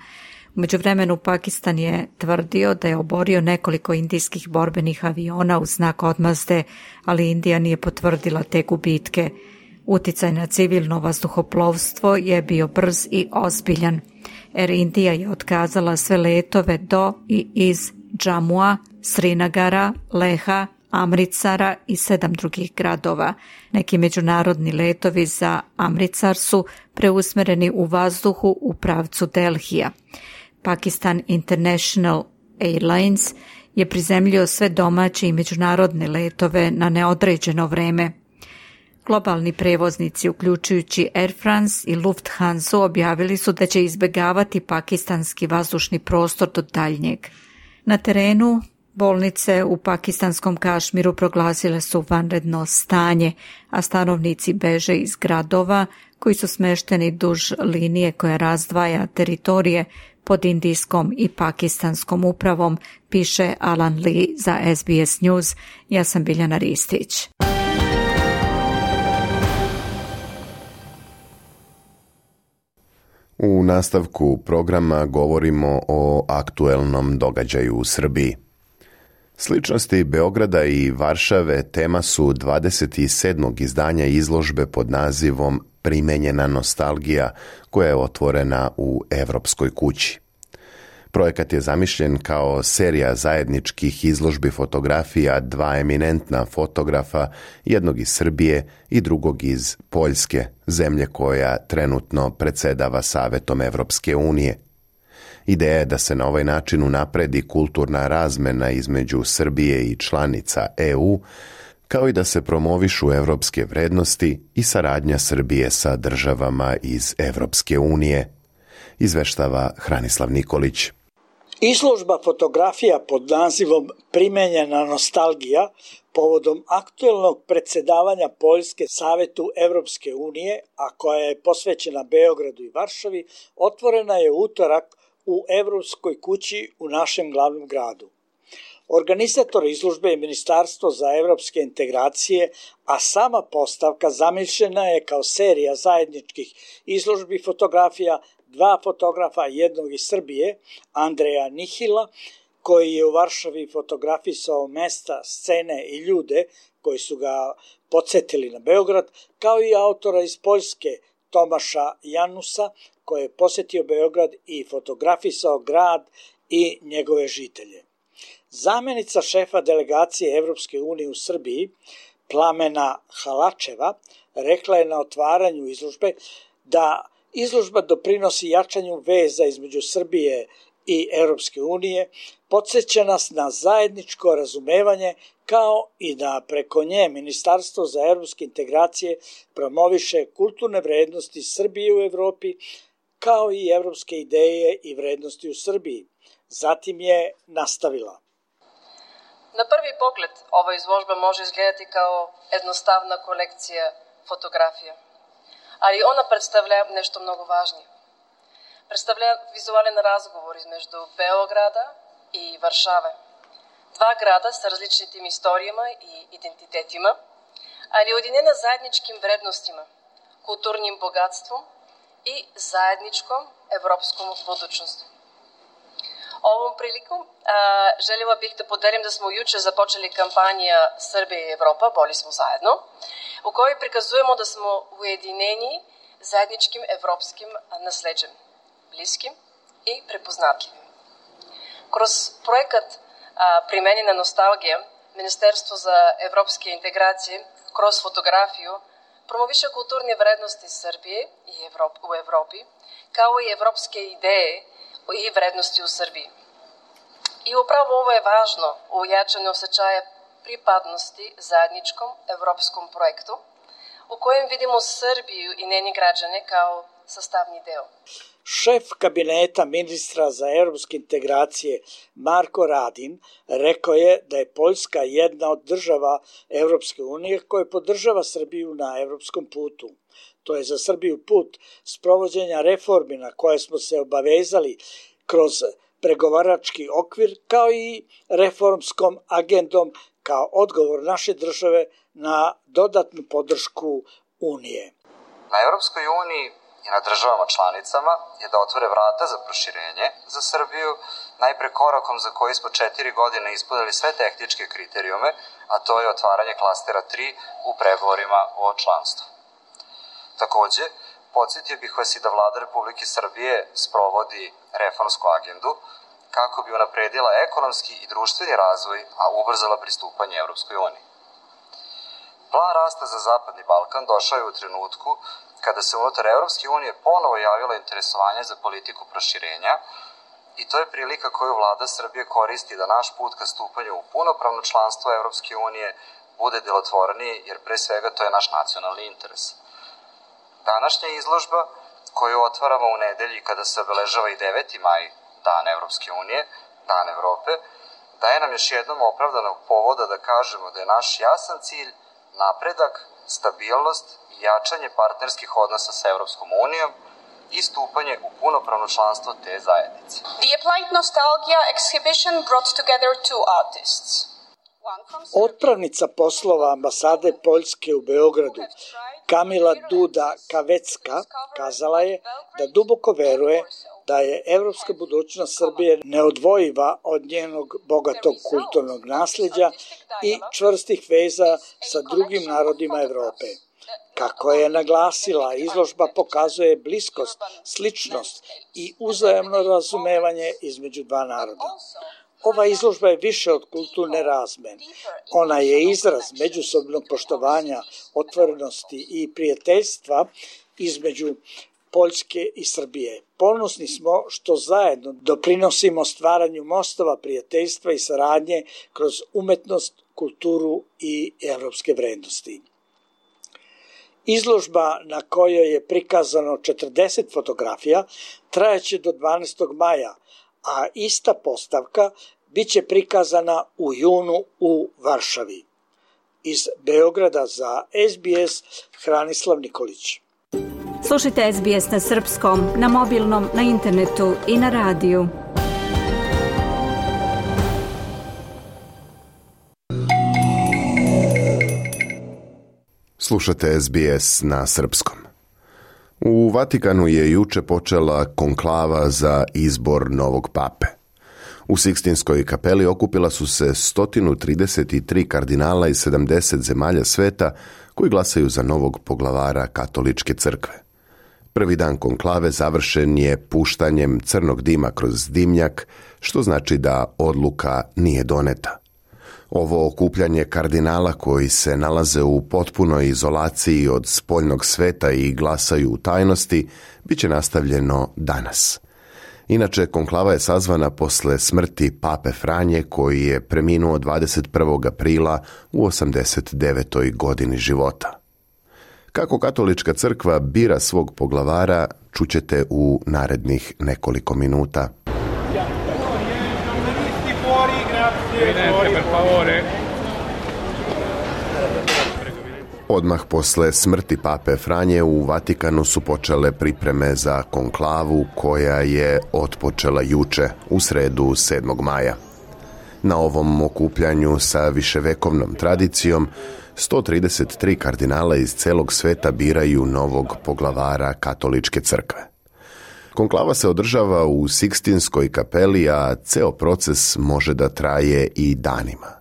U međuvremenu Pakistan je tvrdio da je oborio nekoliko indijskih borbenih aviona u znak odmazde, ali Indija nije potvrdila te gubitke. Uticaj na civilno vazduhoplovstvo je bio brz i ozbiljan. Air India je otkazala sve letove do i iz Džamua, Srinagara, Leha, Amritsara i sedam drugih gradova. Neki međunarodni letovi za Amritsar su preusmereni u vazduhu u pravcu Delhija. Pakistan International Airlines je prizemljio sve domaće i međunarodne letove na neodređeno vreme. Globalni prevoznici, uključujući Air France i Lufthansa, objavili su da će izbjegavati pakistanski vazdušni prostor do daljnjeg. Na terenu bolnice u pakistanskom Kašmiru proglasile su vanredno stanje, a stanovnici beže iz gradova koji su smešteni duž linije koja razdvaja teritorije pod indijskom i pakistanskom upravom, piše Alan Lee za S B S News. Ja sam Biljana Ristić. U nastavku programa govorimo o aktuelnom događaju u Srbiji. Sličnosti Beograda i Varšave tema su dvadeset sedmog izdanja izložbe pod nazivom Primenjena nostalgija, koja je otvorena u Evropskoj kući. Projekat je zamišljen kao serija zajedničkih izložbi fotografija dva eminentna fotografa, jednog iz Srbije i drugog iz Poljske, zemlje koja trenutno predsedava Savetom Evropske unije. Ideja je da se na ovaj način unapredi kulturna razmena između Srbije i članica E U, kao i da se promovišu evropske vrednosti i saradnja Srbije sa državama iz Evropske unije, izveštava Hranislav Nikolić. Izložba fotografija pod nazivom Primenjena nostalgija povodom aktuelnog predsedavanja Poljske Savetu Evropske unije, a koja je posvećena Beogradu i Varšavi, otvorena je utorak u Evropskoj kući u našem glavnom gradu. Organizator izložbe je Ministarstvo za evropske integracije, a sama postavka zamišljena je kao serija zajedničkih izložbi fotografija dva fotografa, jednog iz Srbije, Andreja Nihila, koji je u Varšavi fotografisao mesta, scene i ljude koji su ga podsjetili na Beograd, kao i autora iz Poljske, Tomaša Janusa, koji je posjetio Beograd i fotografisao grad i njegove žitelje. Zamenica šefa delegacije Evropske unije u Srbiji, Plamena Halačeva, rekla je na otvaranju izložbe da izložba doprinosi jačanju veza između Srbije i Evropske unije, podsjeća nas na zajedničko razumevanje, kao i da preko nje Ministarstvo za evropske integracije promoviše kulturne vrednosti Srbije u Evropi, kao i evropske ideje i vrednosti u Srbiji. Zatim je nastavila. Na prvi pogled ova izložba može izgledati kao jednostavna kolekcija fotografija, ali ona predstavlja nešto mnogo važnije. Predstavlja vizualan razgovor između Beograda i Varšave. Dva grada sa različitim istorijama i identitetima, ali ujedinjena zajedničkim vrednostima, kulturnim bogatstvom i zajedničkom evropskom budućnosti. Ovom prilikom a, željela bih da podelim da smo juče započeli kampanja Srbija i Evropa, bolji smo zajedno, u kojoj prikazujemo da smo ujedinjeni zajedničkim evropskim nasleđem, bliskim i prepoznatljivim. Kroz projekat a, Primenjena nostalgija, Ministarstvo za evropske integracije kroz fotografiju promoviše kulturne vrednosti Srbije i Evrop, u Evropi, kao i evropske ideje i vrednosti u Srbiji. I upravo ovo je važno u jačanju osjećaja pripadnosti zajedničkom evropskom projektu, u kojem vidimo Srbiju i njeni građane kao sastavni deo. Šef kabineta ministra za evropske integracije Marko Radin rekao je da je Poljska jedna od država Evropske unije koja podržava Srbiju na evropskom putu. To je za Srbiju put sprovođenja reformi na koje smo se obavezali kroz pregovarački okvir, kao i reformskom agendom kao odgovor naše države na dodatnu podršku Unije. Na Evropskoj uniji i na državama članicama je da otvore vrata za proširenje za Srbiju, najpre korakom za koji smo četiri godine ispunili sve tehničke kriterijume, a to je otvaranje klastera tri u pregovorima o članstvu. Takođe, podsjetio bih vas i da Vlada Republike Srbije sprovodi reformsku agendu kako bi unapredila ekonomski i društveni razvoj, a ubrzala pristupanje Evropskoj uniji. Plan rasta za Zapadni Balkan došao je u trenutku kada se unutar Evropske unije ponovo javilo interesovanje za politiku proširenja i to je prilika koju Vlada Srbije koristi da naš put ka stupanju u punopravno članstvo Evropske unije bude delotvorniji, jer pre svega to je naš nacionalni interes. Današnja izložba, koju otvaramo u nedelji kada se obeležava i deveti maj, Dan Evropske unije, Dan Evrope, daje nam još jednom opravdanog povoda da kažemo da je naš jasan cilj napredak, stabilnost i jačanje partnerskih odnosa sa Evropskom unijom i stupanje u punopravno članstvo te zajednice. The Applied Nostalgia exhibition brought together two artists. Otpravnica poslova ambasade Poljske u Beogradu, Kamila Duda Kavecka, kazala je da duboko veruje da je evropska budućnost Srbije neodvojiva od njenog bogatog kulturnog nasljeđa i čvrstih veza sa drugim narodima Evrope. Kako je naglasila, izložba pokazuje bliskost, sličnost i uzajamno razumevanje između dva naroda. Ova izložba je više od kulturne razmene. Ona je izraz međusobnog poštovanja, otvorenosti i prijateljstva između Poljske i Srbije. Ponosni smo što zajedno doprinosimo stvaranju mostova prijateljstva i saradnje kroz umetnost, kulturu i evropske vrednosti. Izložba na kojoj je prikazano četrdeset fotografija trajaće do dvanaestog maja, a ista postavka biće prikazana u junu u Varšavi. Iz Beograda za S B S Hranislav Nikolić. Slušajte S B S na srpskom, na mobilnom, na internetu i na radiju. Slušate S B S na srpskom. U Vatikanu je juče počela konklava za izbor novog pape. U Sikstinskoj kapeli okupila su se sto trideset tri kardinala iz sedamdeset zemalja sveta koji glasaju za novog poglavara katoličke crkve. Prvi dan konklave završen je puštanjem crnog dima kroz dimnjak, što znači da odluka nije doneta. Ovo okupljanje kardinala koji se nalaze u potpunoj izolaciji od spoljnog sveta i glasaju u tajnosti bit će nastavljeno danas. Inače, konklava je sazvana posle smrti pape Franje koji je preminuo dvadeset prvog aprila u osamdeset devetoj godini života. Kako katolička crkva bira svog poglavara, čućete u narednih nekoliko minuta. Odmah posle smrti pape Franje u Vatikanu su počele pripreme za konklavu koja je otpočela juče, u sredu sedmog maja. Na ovom okupljanju sa viševekovnom tradicijom sto trideset tri kardinala iz celog sveta biraju novog poglavara katoličke crkve. Konklava se održava u Sikstinskoj kapeli, a ceo proces može da traje i danima.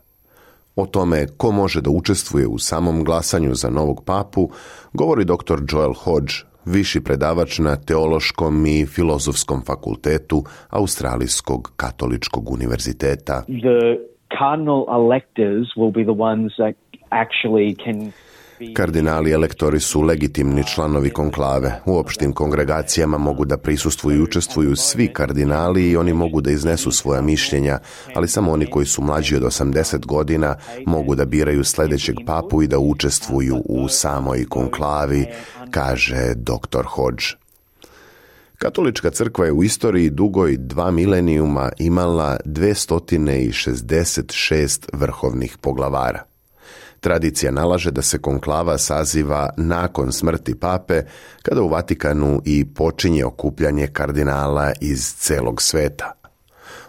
O tome ko može da učestvuje u samom glasanju za novog papu govori doktor Joel Hodge, viši predavač na Teološkom i Filozofskom fakultetu Australijskog katoličkog univerziteta. The cardinal electors will be the ones that actually can... Kardinali elektori su legitimni članovi konklave. U opštim kongregacijama mogu da prisustvuju i učestvuju svi kardinali i oni mogu da iznesu svoja mišljenja, ali samo oni koji su mlađi od osamdeset godina mogu da biraju sljedećeg papu i da učestvuju u samoj konklavi, kaže doktor Hodge. Katolička crkva je u istoriji dugoj dva milenijuma imala dvesta šezdeset šest vrhovnih poglavara. Tradicija nalaže da se konklava saziva nakon smrti pape, kada u Vatikanu i počinje okupljanje kardinala iz celog sveta.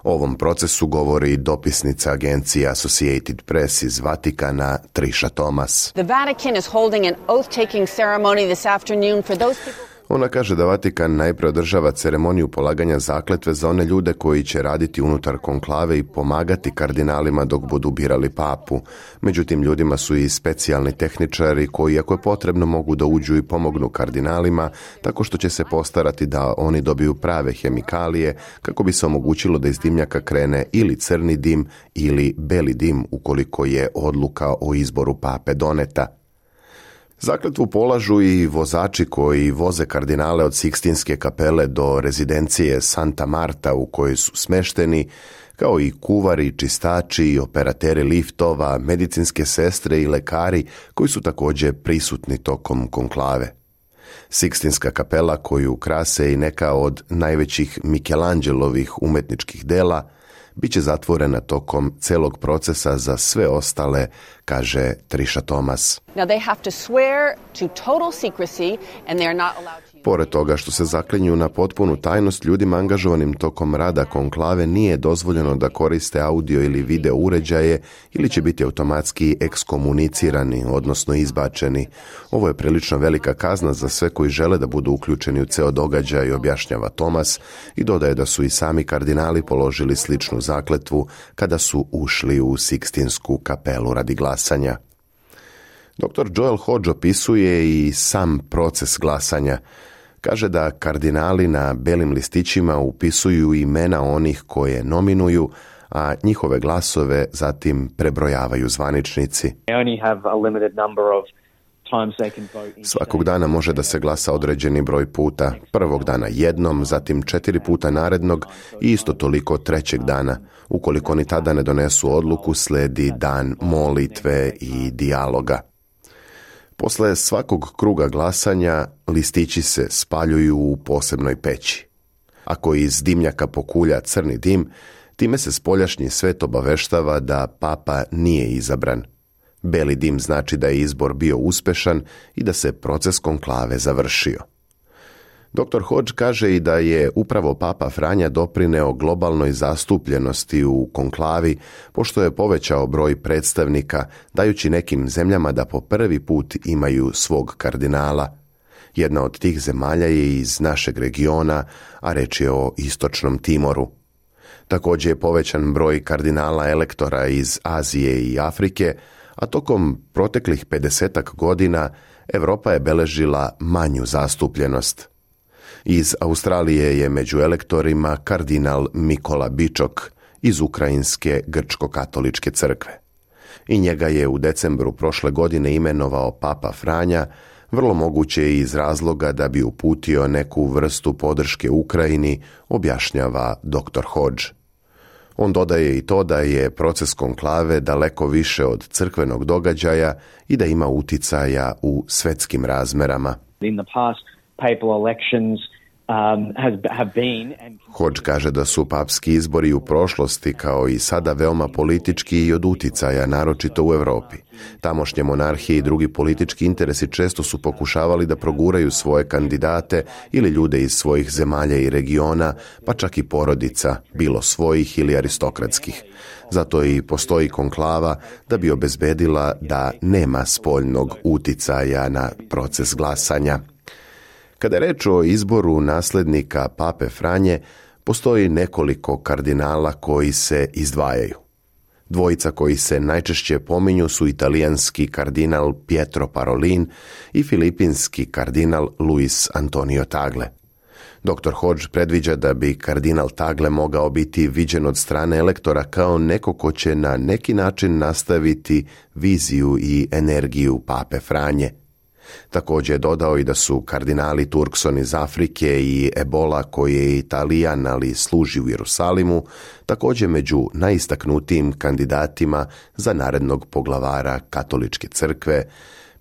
O ovom procesu govori dopisnica agencije Associated Press iz Vatikana, Trisha Thomas. The Vatican is holding an oath-taking ceremony this afternoon for those people. Ona kaže da Vatikan najpre održava ceremoniju polaganja zakletve za one ljude koji će raditi unutar konklave i pomagati kardinalima dok budu birali papu. Međutim, ljudima su i specijalni tehničari koji, ako je potrebno, mogu da uđu i pomognu kardinalima, tako što će se postarati da oni dobiju prave hemikalije kako bi se omogućilo da iz dimnjaka krene ili crni dim ili beli dim ukoliko je odluka o izboru pape doneta. Zakletvu polažu i vozači koji voze kardinale od Sikstinske kapele do rezidencije Santa Marta u kojoj su smešteni, kao i kuvari, čistači i operateri liftova, medicinske sestre i lekari koji su također prisutni tokom konklave. Sikstinska kapela koju krase i neka od najvećih Michelangelovih umetničkih dela bit će zatvorena tokom celog procesa za sve ostale, kaže Trisha Thomas. Now they have to swear to total secrecy and they are not allowed to... Pored toga što se zaklinju na potpunu tajnost, ljudima angažovanim tokom rada konklave nije dozvoljeno da koriste audio ili video uređaje ili će biti automatski ekskomunicirani, odnosno izbačeni. Ovo je prilično velika kazna za sve koji žele da budu uključeni u ceo događaj, objašnjava Thomas i dodaje da su i sami kardinali položili sličnu zakletvu kada su ušli u Sikstinsku kapelu radi glasanja. doktor Joel Hodge opisuje i sam proces glasanja. Kaže da kardinali na belim listićima upisuju imena onih koje nominuju, a njihove glasove zatim prebrojavaju zvaničnici. They only have a limited number of Svakog dana može da se glasa određeni broj puta. Prvog dana jednom, zatim četiri puta narednog i isto toliko trećeg dana. Ukoliko ni tada ne donesu odluku, sledi dan molitve i dijaloga. Posle svakog kruga glasanja listići se spaljuju u posebnoj peći. Ako iz dimnjaka pokulja crni dim, time se spoljašnji svet obaveštava da papa nije izabran. Beli dim znači da je izbor bio uspešan i da se proces konklave završio. doktor Hodge kaže i da je upravo papa Franja doprineo globalnoj zastupljenosti u konklavi, pošto je povećao broj predstavnika, dajući nekim zemljama da po prvi put imaju svog kardinala. Jedna od tih zemalja je iz našeg regiona, a reč je o Istočnom Timoru. Također je povećan broj kardinala elektora iz Azije i Afrike, a tokom proteklih pedesetak godina Evropa je beležila manju zastupljenost. Iz Australije je među elektorima kardinal Mikola Bičok iz Ukrajinske grčko-katoličke crkve. I njega je u decembru prošle godine imenovao papa Franja, vrlo moguće i iz razloga da bi uputio neku vrstu podrške Ukrajini, objašnjava doktor Hodge. On dodaje i to da je proces konklave daleko više od crkvenog događaja i da ima uticaja u svetskim razmerama. In the past, papal elections um, has, have been and... Hodge kaže da su papski izbori u prošlosti kao i sada veoma politički i od uticaja, naročito u Europi. Tamošnje monarhije i drugi politički interesi često su pokušavali da proguraju svoje kandidate ili ljude iz svojih zemalja i regiona, pa čak i porodica, bilo svojih ili aristokratskih. Zato i postoji konklava da bi obezbedila da nema spoljnog uticaja na proces glasanja. Kada je reč o izboru naslednika pape Franje, postoji nekoliko kardinala koji se izdvajaju. Dvojica koji se najčešće pominju su italijanski kardinal Pietro Parolin i filipinski kardinal Luis Antonio Tagle. doktor Hodge predviđa da bi kardinal Tagle mogao biti viđen od strane elektora kao neko ko će na neki način nastaviti viziju i energiju pape Franje. Također je dodao i da su kardinali Turkson iz Afrike i Ebola, koji je Italijan, ali služi u Jerusalimu, također među najistaknutijim kandidatima za narednog poglavara katoličke crkve,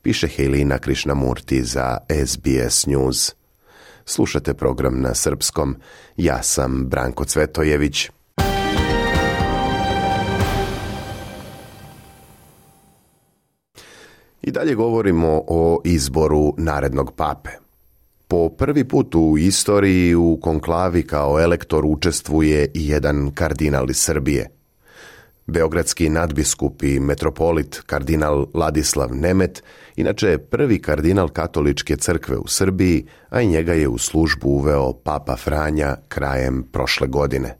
piše Helina Krishnamurti za S B S News. Slušate program na srpskom. Ja sam Branko Cvetojević. I dalje govorimo o izboru narednog pape. Po prvi put u istoriji u konklavi kao elektor učestvuje i jedan kardinal iz Srbije. Beogradski nadbiskup i metropolit kardinal Ladislav Nemet, inače je prvi kardinal katoličke crkve u Srbiji, a i njega je u službu uveo papa Franja krajem prošle godine.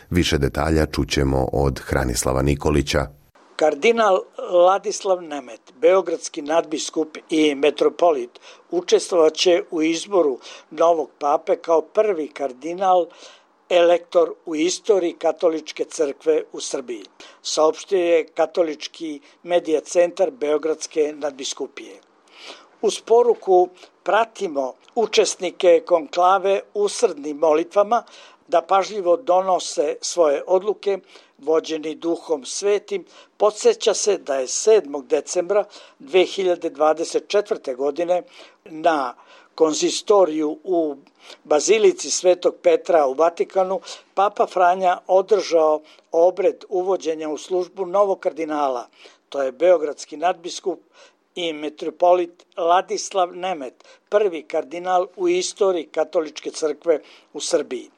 Više detalja čućemo od Hranislava Nikolića. Kardinal Ladislav Nemet, beogradski nadbiskup i metropolit, učestvovaće u izboru novog pape kao prvi kardinal elektor u istoriji katoličke crkve u Srbiji, saopštio je katolički medija centar Beogradske nadbiskupije. Uz poruku pratimo učesnike konklave usrdnim molitvama da pažljivo donose svoje odluke, vođeni Duhom Svetim, podsjeća se da je sedmog decembra dve hiljade dvadeset četvrte. godine na konzistoriju u Bazilici Svetog Petra u Vatikanu papa Franja održao obred uvođenja u službu novog kardinala, to je beogradski nadbiskup i metropolit Ladislav Nemet, prvi kardinal u istoriji katoličke crkve u Srbiji.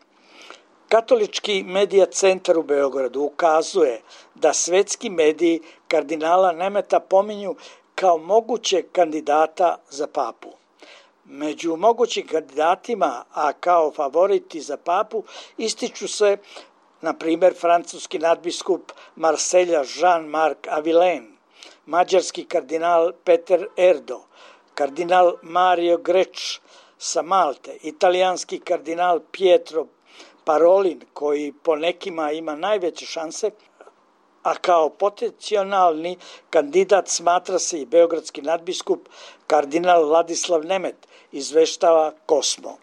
Katolički medija centar u Beogradu ukazuje da svetski mediji kardinala Nemeta pominju kao mogućeg kandidata za papu. Među mogućim kandidatima, a kao favoriti za papu, ističu se, na primjer, francuski nadbiskup Marselja Jean-Marc Avilen, mađarski kardinal Peter Erdo, kardinal Mario Greč sa Malte, italijanski kardinal Pietro Parolin, koji po nekima ima najveće šanse, a kao potencijalni kandidat smatra se i beogradski nadbiskup kardinal Ladislav Nemet, izveštava Kosmo.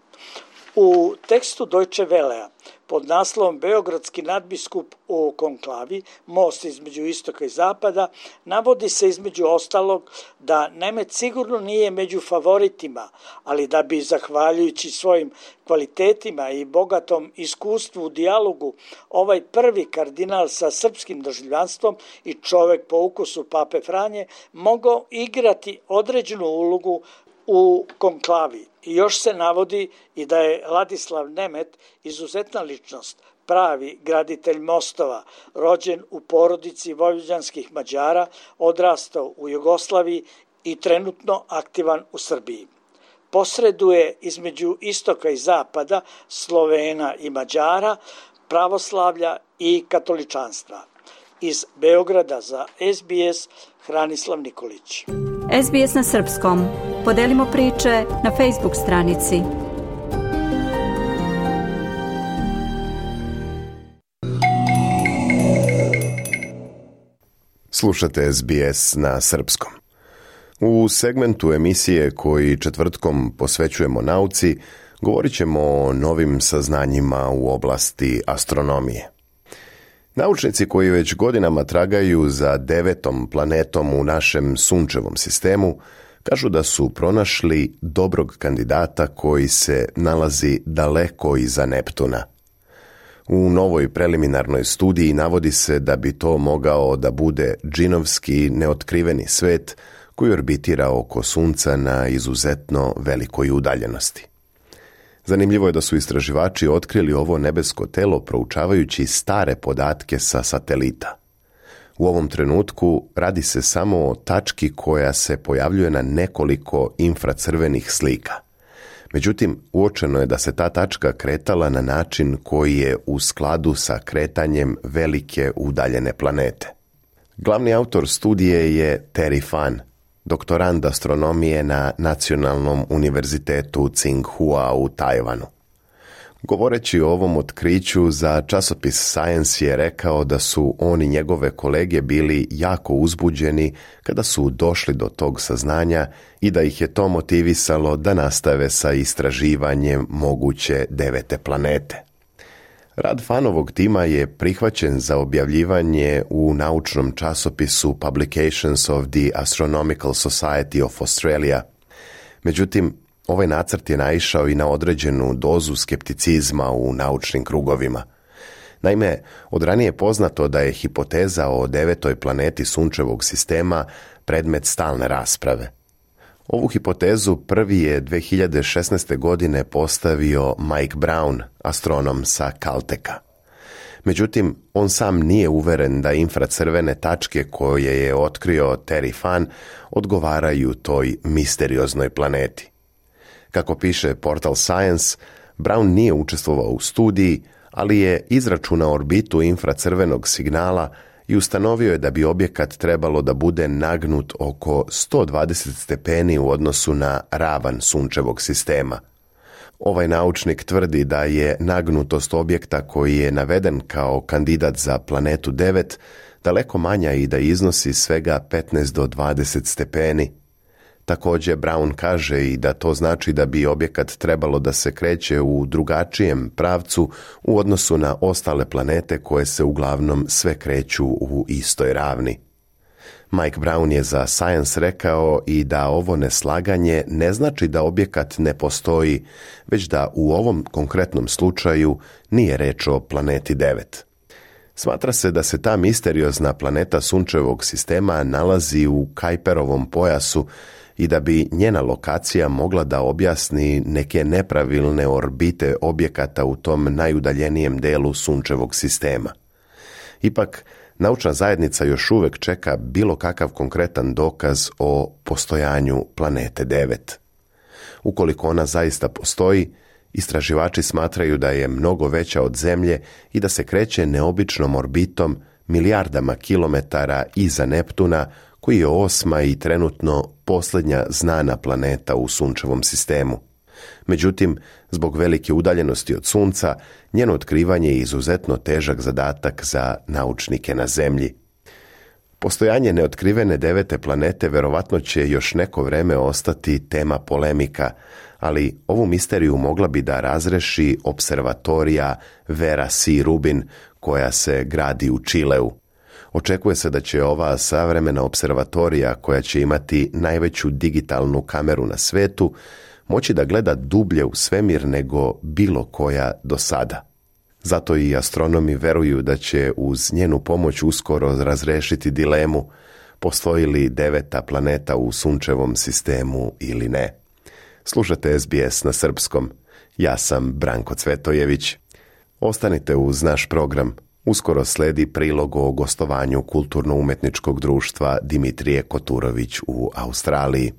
U tekstu Deutsche Wellea pod naslovom Beogradski nadbiskup u konklavi, most između istoka i zapada, navodi se između ostalog da Nemet sigurno nije među favoritima, ali da bi, zahvaljujući svojim kvalitetima i bogatom iskustvu u dijalogu, ovaj prvi kardinal sa srpskim državljanstvom i čovek po ukusu Pape Franje mogao igrati određenu ulogu u konklavi. I još se navodi i da je Ladislav Nemet izuzetna ličnost, pravi graditelj mostova, rođen u porodici vojvođanskih Mađara, odrastao u Jugoslaviji i trenutno aktivan u Srbiji. Posreduje između istoka i zapada, Slovena i Mađara, pravoslavlja i katoličanstva. Iz Beograda za S B S, Hranislav Nikolić. S B S na srpskom. Podelimo priče na Facebook stranici. Slušate S B S na srpskom. U segmentu emisije koji četvrtkom posvećujemo nauci, govorit ćemo o novim saznanjima u oblasti astronomije. Naučnici koji već godinama tragaju za devetom planetom u našem sunčevom sistemu kažu da su pronašli dobrog kandidata koji se nalazi daleko iza Neptuna. U novoj preliminarnoj studiji navodi se da bi to mogao da bude džinovski neotkriveni svet koji orbitira oko Sunca na izuzetno velikoj udaljenosti. Zanimljivo je da su istraživači otkrili ovo nebesko telo proučavajući stare podatke sa satelita. U ovom trenutku radi se samo o tački koja se pojavljuje na nekoliko infracrvenih slika. Međutim, uočeno je da se ta tačka kretala na način koji je u skladu sa kretanjem velike udaljene planete. Glavni autor studije je Terry Fan, doktorand astronomije na Nacionalnom univerzitetu Tsinghua u Tajvanu. Govoreći o ovom otkriću za časopis Science je rekao da su on i njegove kolege bili jako uzbuđeni kada su došli do tog saznanja i da ih je to motivisalo da nastave sa istraživanjem moguće devete planete. Rad Fanovog tima je prihvaćen za objavljivanje u naučnom časopisu Publications of the Astronomical Society of Australia. Međutim, ovaj nacrt je naišao i na određenu dozu skepticizma u naučnim krugovima. Naime, od ranije je poznato da je hipoteza o devetoj planeti sunčevog sistema predmet stalne rasprave. Ovu hipotezu prvi je dve hiljade šesnaeste. godine postavio Mike Brown, astronom sa Caltecha. Međutim, on sam nije uveren da infracrvene tačke koje je otkrio Terry Fan odgovaraju toj misterioznoj planeti. Kako piše portal Science, Brown nije učestvovao u studiji, ali je izračunao orbitu infracrvenog signala i ustanovio je da bi objekat trebalo da bude nagnut oko sto dvadeset stepeni u odnosu na ravan sunčevog sistema. Ovaj naučnik tvrdi da je nagnutost objekta koji je naveden kao kandidat za planetu devet daleko manja i da iznosi svega petnaest do dvadeset stepeni. Također Brown kaže i da to znači da bi objekat trebalo da se kreće u drugačijem pravcu u odnosu na ostale planete koje se uglavnom sve kreću u istoj ravni. Mike Brown je za Science rekao i da ovo neslaganje ne znači da objekat ne postoji, već da u ovom konkretnom slučaju nije reč o planeti devet. Smatra se da se ta misteriozna planeta sunčevog sistema nalazi u Kuiperovom pojasu i da bi njena lokacija mogla da objasni neke nepravilne orbite objekata u tom najudaljenijem delu sunčevog sistema. Ipak, naučna zajednica još uvek čeka bilo kakav konkretan dokaz o postojanju planete devet. Ukoliko ona zaista postoji, istraživači smatraju da je mnogo veća od Zemlje i da se kreće neobičnom orbitom milijardama kilometara iza Neptuna, koji je osma i trenutno posljednja znana planeta u sunčevom sistemu. Međutim, zbog velike udaljenosti od Sunca, njeno otkrivanje je izuzetno težak zadatak za naučnike na Zemlji. Postojanje neotkrivene devete planete verovatno će još neko vreme ostati tema polemika, ali ovu misteriju mogla bi da razreši observatorija Vera C. Rubin koja se gradi u Čileu. Očekuje se da će ova savremena observatorija, koja će imati najveću digitalnu kameru na svetu, moći da gleda dublje u svemir nego bilo koja do sada. Zato i astronomi veruju da će uz njenu pomoć uskoro razrešiti dilemu postoji li deveta planeta u sunčevom sistemu ili ne. Slušate S B S na srpskom. Ja sam Branko Cvetojević. Ostanite uz naš program. Uskoro sledi prilog o gostovanju kulturno-umetničkog društva Dimitrije Koturović u Australiji.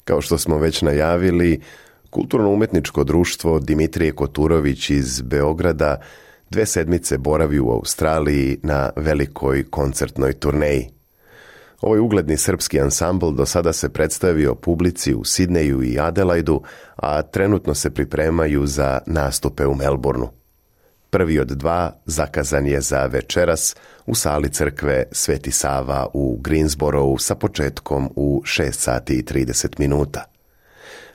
Kao što smo već najavili, kulturno-umetničko društvo Dimitrije Koturović iz Beograda dve sedmice boravi u Australiji na velikoj koncertnoj turneji. Ovaj ugledni srpski ansambl do sada se predstavio publici u Sidneju i Adelaidu, a trenutno se pripremaju za nastupe u Melbourneu. Prvi od dva zakazan je za večeras u sali crkve Sveti Sava u Greensboroughu sa početkom u šest sati i trideset minuta.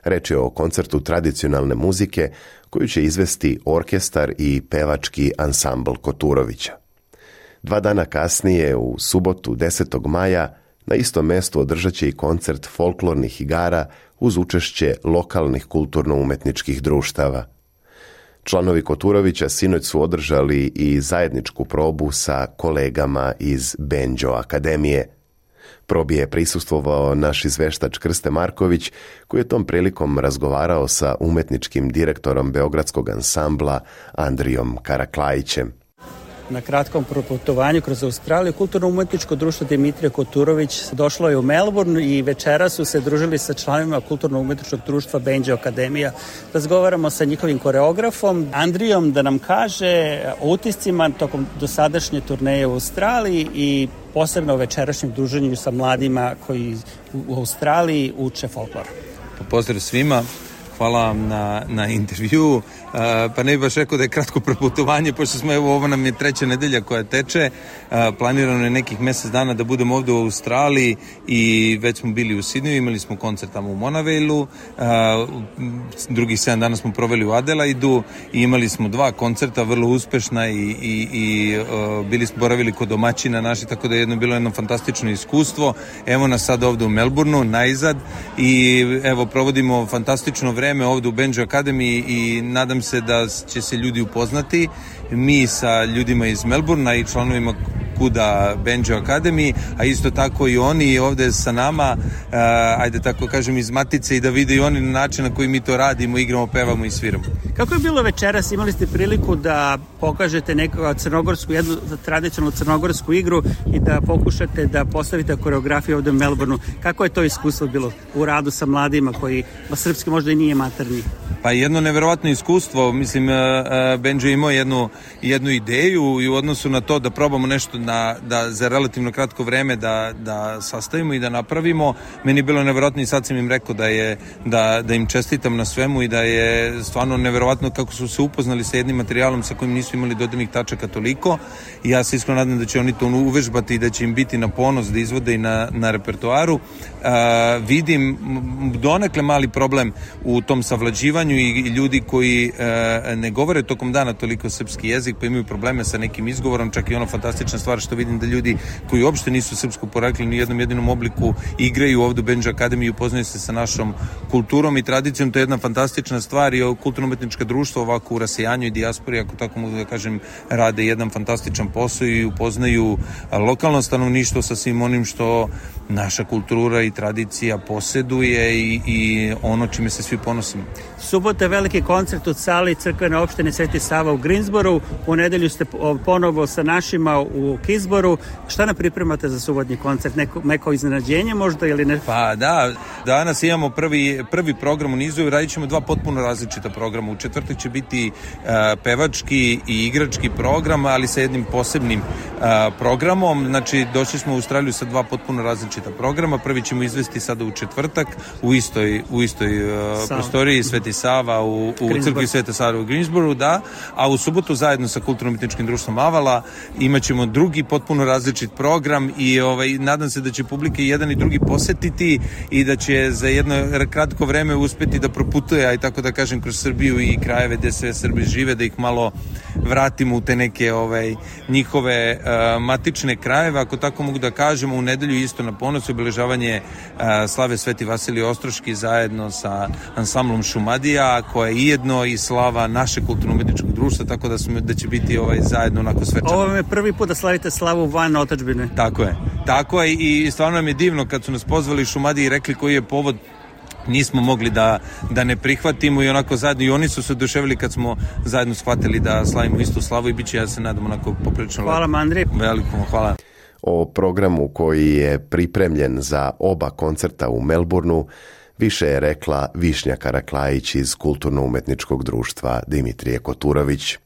Reč je o koncertu tradicionalne muzike koju će izvesti orkestar i pevački ansambl Koturovića. Dva dana kasnije, u subotu desetog maja, na istom mestu održat će i koncert folklornih igara uz učešće lokalnih kulturno-umetničkih društava. Članovi Koturovića sinoć su održali i zajedničku probu sa kolegama iz Banjo Akademije. Probi je prisustvovao naš izveštač Krste Marković, koji je tom prilikom razgovarao sa umetničkim direktorom beogradskog ansambla Andrijom Karaklajićem. Na kratkom proputovanju kroz Australiju kulturno-umetničko društvo Dimitrije Koturović došlo je u Melbourne i večera su se družili sa članovima kulturno-umetničkog društva Banjo Akademija. Razgovaramo sa njihovim koreografom Andrijom da nam kaže o utiscima tokom dosadašnje turneje u Australiji i posebno o večerašnjem druženju sa mladima koji u Australiji uče folklor. Pozdrav svima. Hvala vam na, na intervju. Uh, pa ne bih baš rekao da je kratko proputovanje, pošto smo, evo, ovo nam je treća nedelja koja teče. Uh, planirano je nekih mjesec dana da budemo ovdje u Australiji i već smo bili u Sidneju, imali smo koncert tamo u Monavailu, uh, drugih sedam dana smo proveli u Adelaidu i imali smo dva koncerta, vrlo uspešna i, i, i uh, bili smo boravili kod domaćina naši, tako da je jedno bilo jedno fantastično iskustvo. Evo nas sad ovdje u Melbourneu, najzad, i evo provodimo fantastično vreme ovdje u Banjo Akademiji i nadam se da će se ljudi upoznati, mi sa ljudima iz Melbournea i članovima Kuda Banjo Akademiji, a isto tako i oni ovdje sa nama, uh, ajde tako kažem, iz matice, i da vide i oni na način na koji mi to radimo, igramo, pevamo i sviramo. Kako je bilo večeras? Imali ste priliku da pokažete neku crnogorsku, jednu tradicionalnu crnogorsku igru i da pokušate da postavite koreografiju ovdje u Melbourneu. Kako je to iskustvo bilo u radu sa mladima koji srpski možda i nije maternji? Pa jedno neverovatno iskustvo, mislim, Banjo imao jednu, jednu ideju i u odnosu na to da probamo nešto na, da za relativno kratko vreme da, da sastavimo i da napravimo. Meni je bilo neverovatno i sad sam im rekao da, je, da, da im čestitam na svemu i da je stvarno neverovatno kako su se upoznali sa jednim materijalom sa kojim nisu imali dodirnih tačaka toliko, i ja se iskreno nadam da će oni to uvežbati i da će im biti na ponos da izvode i na, na repertoaru. Uh, vidim donekle mali problem u tom savlađivanju i ljudi koji uh, ne govore tokom dana toliko srpski jezik, pa imaju probleme sa nekim izgovorom. Čak i ono fantastična stvar što vidim da ljudi koji uopšte nisu srpsko porekli ni u jednom jedinom obliku igraju ovdje u Banjo Akademiji i upoznaju se sa našom kulturom i tradicijom. To je jedna fantastična stvar i kulturno-umetnička društva ovako u rasejanju i dijaspori, ako tako mogu da kažem, rade jedan fantastičan posao i upoznaju lokalno stanovništvo sa svim onim što naša kultura i tradicija poseduje i, i ono čime se svi ponosimo. Subota veliki koncert u sali crkvene opštine Sveti Sava u Greensboroughu. U nedelju ste ponovo sa našima u k izboru. Šta nam pripremate za subotnji koncert? Neko, neko iznenađenje možda ili ne? Pa da, danas imamo prvi, prvi program u nizu i radit ćemo dva potpuno različita programa. U četvrtak će biti uh, pevački i igrački program, ali sa jednim posebnim uh, programom. Znači, došli smo u Australiju sa dva potpuno različita programa. Prvi ćemo izvesti sada u četvrtak u istoj, u istoj uh, prostoriji Sveti Sava u, u crkvi Sveta Save u Greensboro, da, a u subotu zajedno sa Kulturno-umetničkim društvom Avala imat ćemo drugi potpuno različit program i ovaj, nadam se da će publike jedan i drugi posetiti i da će za jedno kratko vreme uspeti da proputuje, aj tako da kažem, kroz Srbiju i krajeve gde sve Srbi žive, da ih malo vratimo u te neke ovaj, njihove uh, matične krajeve, ako tako mogu da kažemo. U nedelju isto na ponos obeležavanje uh, slave Sveti Vasilije Ostroški zajedno sa ansamblom Šumadija, koja je jedno i slava naše kulturno-umetničkog društva, tako da, smo, da će biti ovaj, zajedno onako svečano. Ovo je prvi put da slavite slavu van otadžbine. Tako je, tako je i stvarno nam je divno kad su nas pozvali Šumadiji i rekli koji je povod, nismo mogli da, da ne prihvatimo i onako zajedno i oni su se oduševili kad smo zajedno shvatili da slavimo istu slavu i bit će, ja se nadam, onako poprilično. Hvala vam, Andrej. Veliko hvala. O programu koji je pripremljen za oba koncerta u Melbourneu više je rekla Višnja Karaklajić iz Kulturno-umetničkog društva Dimitrije Koturović.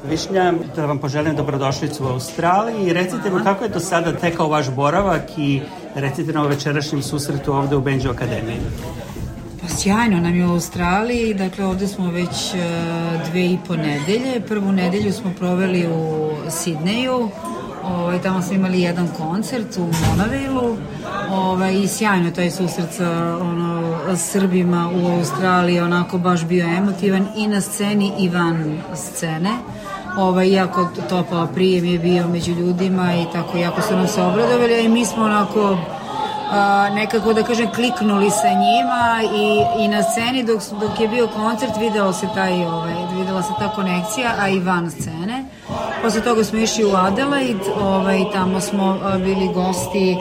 Višnja, da vam poželim dobrodošlicu u Australiji i recite mi kako je do sada tekao vaš boravak i recite na večerašnjem susretu ovde u Benđu Akademiji. Pa sjajno nam je u Australiji, dakle ovde smo već dve i po nedelje. Prvu nedelju smo proveli u Sidneju, ovaj, tamo smo imali jedan koncert u Monavailu ovaj, i sjajno taj susret sa ono, Srbima u Australiji, onako baš bio emotivan i na sceni i van scene. Ovaj, jako topao prijem je bio među ljudima i tako jako su nam se obradovali, a i mi smo onako a, nekako da kažem kliknuli sa njima i, i na sceni dok, dok je bio koncert videlo se taj, ovaj, videla se ta konekcija, a i van scene. Posle toga smo išli u Adelaide, ovaj, tamo smo a, bili gosti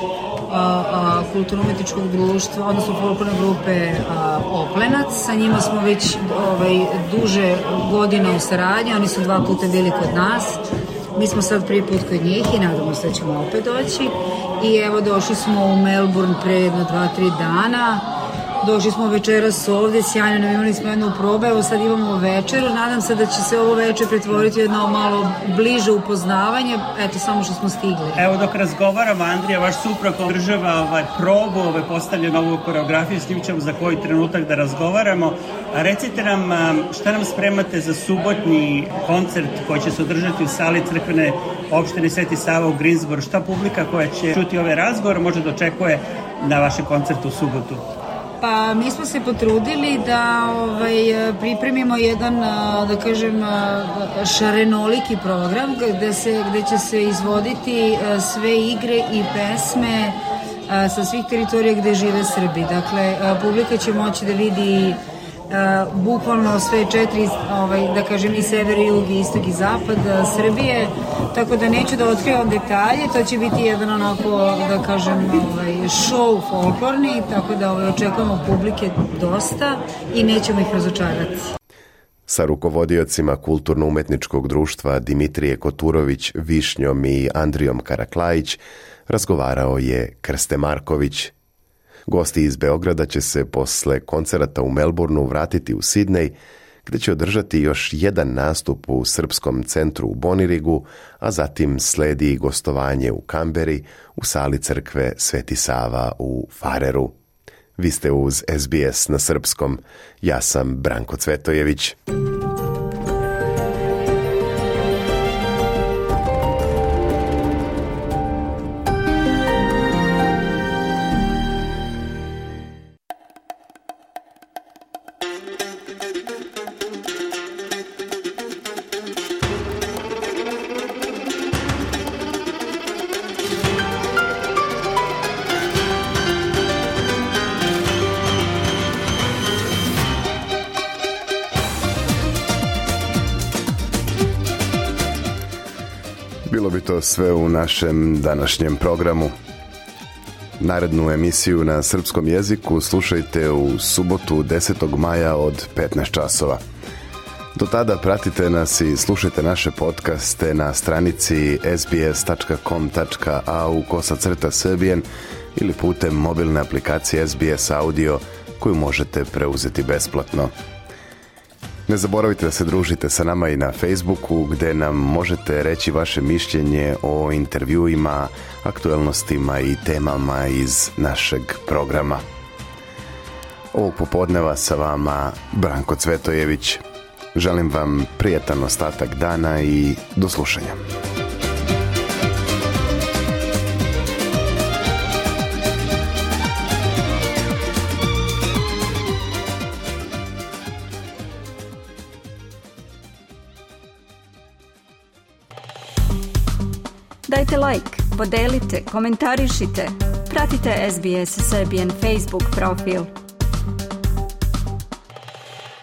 kulturno-umetničkog društva, odnosno folklorne grupe a, Oplenac. Sa njima smo već ovaj, duže godina u saradnji, oni su dva puta bili kod nas. Mi smo sad prvi put kod njih i nadamo se da ćemo opet doći. I evo došli smo u Melbourne pre jedno dva, tri dana. Došli smo večeras ovde, sjajno nam imali smo jednu probu, evo sad imamo večeru, nadam se da će se ovo večer pretvoriti jedno malo bliže upoznavanje, eto samo što smo stigli. Evo dok razgovaramo, Andrija, vaš suprug održava ovaj probu, ovaj postavlja novu koreografiju, s njim ćemo za koji trenutak da razgovaramo. A recite nam šta nam spremate za subotnji koncert koji će se održati u sali crkvene opštine Sveti Sava u Greensboro, šta publika koja će čuti ovaj razgovor može da očekuje na vašem koncertu u subotu? Pa mi smo se potrudili da ovaj, pripremimo jedan, da kažem, šarenoliki program gde, se, gde će se izvoditi sve igre i pesme sa svih teritorija gde žive Srbi. Dakle, publika će moći da vidi Uh, bukvalno sve četiri, ovaj, da kažem, i sever, i jug, i istok, i zapad uh, Srbije, tako da neću da otkrivam detalje, to će biti jedan onako, da kažem, ovaj, show folklorni, tako da ovaj, očekujemo publike dosta i nećemo ih razočarati. Sa rukovodiocima Kulturno-umetničkog društva Dimitrije Koturović, Višnjom i Andrijom Karaklajić razgovarao je Krste Marković. Gosti iz Beograda će se posle koncerata u Melbourneu vratiti u Sidnej, gde će održati još jedan nastup u Srpskom centru u Bonirigu, a zatim sledi gostovanje u Kamberi u sali crkve Sveti Sava u Fareru. Vi ste uz S B S na srpskom. Ja sam Branko Cvetojević. Bilo bi to sve u našem današnjem programu. Narednu emisiju na srpskom jeziku slušajte u subotu desetog maja od petnaest časova. Do tada pratite nas i slušajte naše podcaste na stranici es bi es tačka com tačka a u kosacrta srbijen ili putem mobilne aplikacije es bi es Audio koju možete preuzeti besplatno. Ne zaboravite da se družite sa nama i na Facebooku gdje nam možete reći vaše mišljenje o intervjuima, aktualnostima i temama iz našeg programa. Ovog popodneva sa vama Branko Cvetojević. Želim vam prijetan ostatak dana i do slušanja. Dajte like, podelite, komentarišite, pratite es bi es Serbian Facebook profil.